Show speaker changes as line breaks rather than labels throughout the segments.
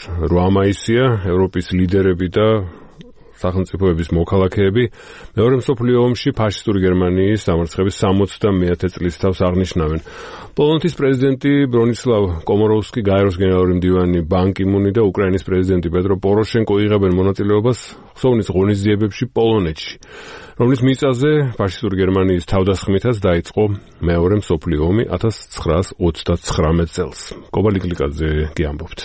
8 მაისია, ევროპის ლიდერები და სახელმწიფოების მოქალაქეები მეორე მსოფლიო ომში ფაშისტური გერმანიის დამარცხების 60-მეათე წლისთავს აღნიშნავენ. პოლონეთის პრეზიდენტი ბრონისლავ კომოროვსკი, გაეროს გენერალური მდივანი ბან კი მუნი და უკრაინის პრეზიდენტი პეტრო პოროშენკო იღებენ მონაწილეობას ხსოვნის ღონისძიებებში პოლონეთში, რომლის მიწაზე ფაშისტური გერმანიის თავდასხმითაც დაიწყო მეორე მსოფლიო ომი 1939 წელს. კობალიკლიკაძე გიამბობთ.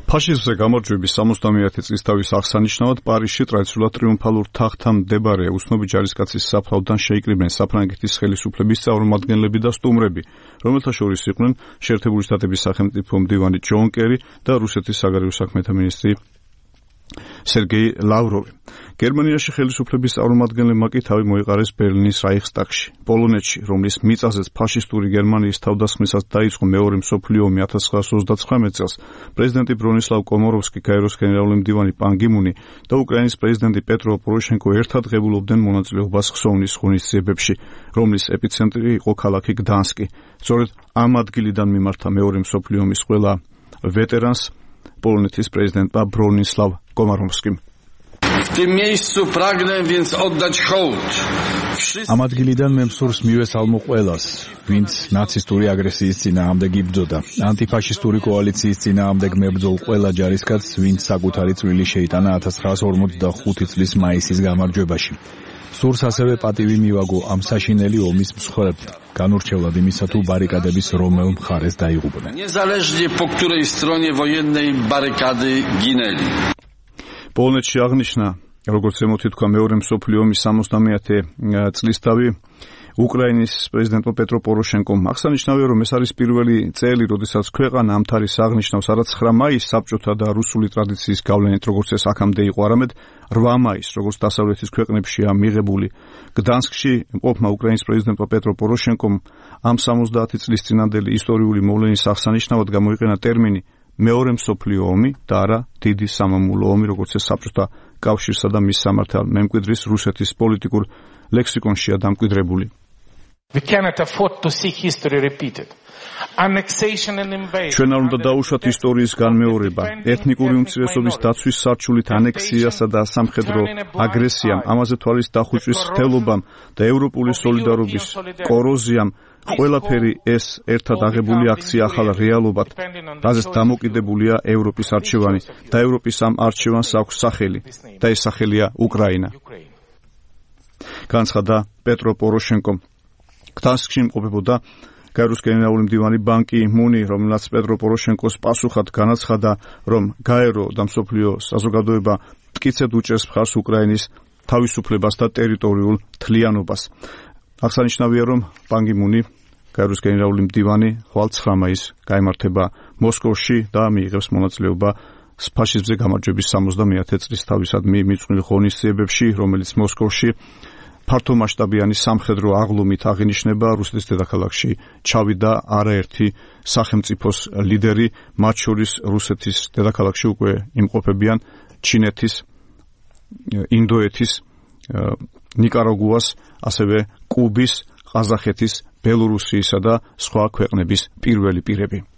ფაშიზმზე გამარჯვების 60-მეათე წლისთავის აღსანიშნავად პარიზში ტრადიციულად ტრიუმფალურ თაღთან მდებარე უცნობი ჯარისკაცის საფლავთან შეიკრიბნენ საფრანგეთის ხელისუფლების წარმომადგენლები და სტუმრები, რომელთა შორის იყვნენ შეერთებული შტატების სახელმწიფო მდივანი ჯონ კერი და რუსეთის საგარეო საქმეთა მინისტრი სერგეი ლავროვი. გერმანიაში ხელისუფლების წარმომადგენლებმა კი თავი მოიყარეს ბერლინის რაიხსტაგში. პოლონეთში, რომლის მიწაზეც ფაშისტური გერმანიის თავდასხმისას დაიწყო მეორე მსოფლიო ომი 1939 წელს, პრეზიდენტი ბრონისლავ კომოროვსკი, გაეროს გენერალური მდივანი ბან კი მუნი და უკრაინის პრეზიდენტი პეტრო პოროშენკო ერთად ღებულობდნენ მონაწილეობას ხსოვნის ღონისძიებებში, რომლის ეპიცენტრი იყო ქალაქი გდანსკი. სწორედ ამ ადგილიდან მიმართა მეორე მსოფლიო ომის ყველა ვეტერანს პოლონეთის პრეზიდენტმა ბრონისლავ კომოროვსკიმ.
ამ ადგილიდან მე მსურს მივესალმო ყველას, ვინც ნაცისტური აგრესიის წინააღმდეგ იბრძოდა, ანტიფაშისტური კოალიციის წინააღმდეგ მებრძოლ ყველა ჯარისკაცს, ვინც საკუთარი წვლილი შეიტანა 1945 წლის მაისის გამარჯვებაში. სურს ასევე პატივი მივაგო ამ საშინელი ომის მსხვერპლად, განურჩევლად იმისა თუ ბარიკადების რომელ მხარეს დაიღუპნენ.
პოლონეთში აღნიშნა, როგორც ზემოთი თქვა, მეორე მსოფლიო ომის 60-მეათე წლისთავი უკრაინის პრეზიდენტმა პეტრო პოროშენკომ. აღსანიშნავია, რომ ეს არის პირველი წელი, როდესაც ქვეყანა ამ თარიღს აღნიშნავს არა 9 მაისს საბჭოთა და რუსული ტრადიციის გავლენით, როგორც ეს აქამდე იყო, არამედ 8 მაისს, როგორც დასავლეთის ქვეყნებშია მიღებული. გდანსკში მყოფმა უკრაინის პრეზიდენტმა პეტრო პოროშენკომ ამ 70 წლის წინანდელი ისტორიული მოვლენის აღსანიშნავად გამოიყენა ტერმინი მეორე მსოფლიო ომი და არა დიდი სამამულო ომი, როგორც ეს საბჭოთა კავშირსა და მის სამართალ მემკვიდრის რუსეთის პოლიტიკურ ლექსიკონშია დამკვიდრებული. ჩვენ არ უნდა დაუშვათ ისტორიის განმეორება, ეთნიკური უმცირესობის დაცვის სარჩულით ანექსიასა და სამხედრო აგრესიამ, ამაზე თვალის დახუჭვის ხდელობამ და ევროპული სოლიდარობის კოროზიამ. ყველაფერი ეს ერთად აღებული აქცია ახალ რეალობად, რაზეც დამოკიდებულია ევროპის არჩევანი და ევროპის ამ არჩევანს აქვს სახელი და ეს სახელია უკრაინა. განცხადა პეტრო პოროშენკომ. გდანსკში იმყოფებოდა გაეროს გენერალური მდივანი ბან კი მუნი, რომელსაც პეტრო პოროშენკოს პასუხად განაცხადა, რომ გაერო და მსოფლიო საზოგადოება მტკიცედ უჭერს მხარს უკრაინის თავისუფლებას და ტერიტორიულ თლიანობას. აღსანიშნავია, რომ ბან კი მუნი, გაეროს გენერალური მდივანი, ხვალ 9 მაისს გაემართება მოსკოვში და მიიღებს მონაწილეობა ფაშიზმზე გამარჯვების 60-მეათე წლისთავისადმი მიწყვილ ღონისძიებებში, რომელიც მოსკოვში ფართომასშტაბიანი სამხედრო აღლუმით აღინიშნება. რუსეთის დედაქალაქში ჩავიდა არაერთი სახელმწიფოს ლიდერი, მათ შორის რუსეთის დედაქალაქში უკვე იმყოფებიან ჩინეთის, ინდოეთის, ნიკარაგუას, ასევე კუბის, ყაზახეთის, ბელორუსიისა და სხვა ქვეყნების პირველი პირები.